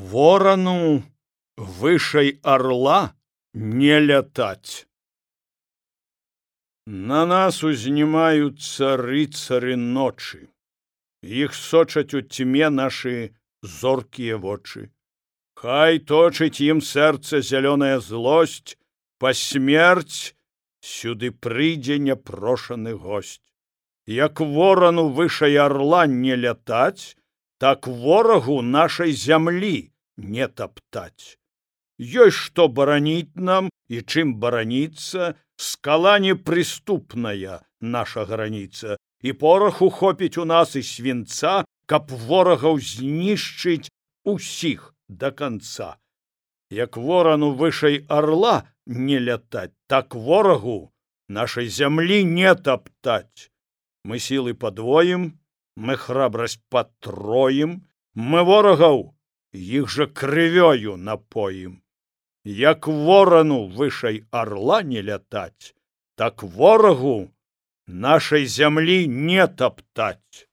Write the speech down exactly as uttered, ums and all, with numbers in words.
Ворану вышэй орла не лятать. На нас узнімаюцца рыцары ночы. Іх сочаць у тьме нашы зоркія вочы. Хай точыць ім сэрца зялёная злосць, па смерць сюды прыйдзе няпрошаны госць. Як ворану вышэй орла не лятаць, так ворагу нашай зямлі не таптаць. Ёсць што бараніць нам і чым бараніцца, скала непрыступная наша граніца, і пораху хопіць у нас і свінца, каб ворагаў знішчыць усіх да канца. Як ворану вышэй орла не лятаць, так ворагу нашай зямлі не таптаць. Мы сілы падвоім, мы храбрасць патроім, мы ворагаў іх жа крывёю напоім. Як ворану вышэй орла не лятаць, так ворагу нашай зямлі не таптаць.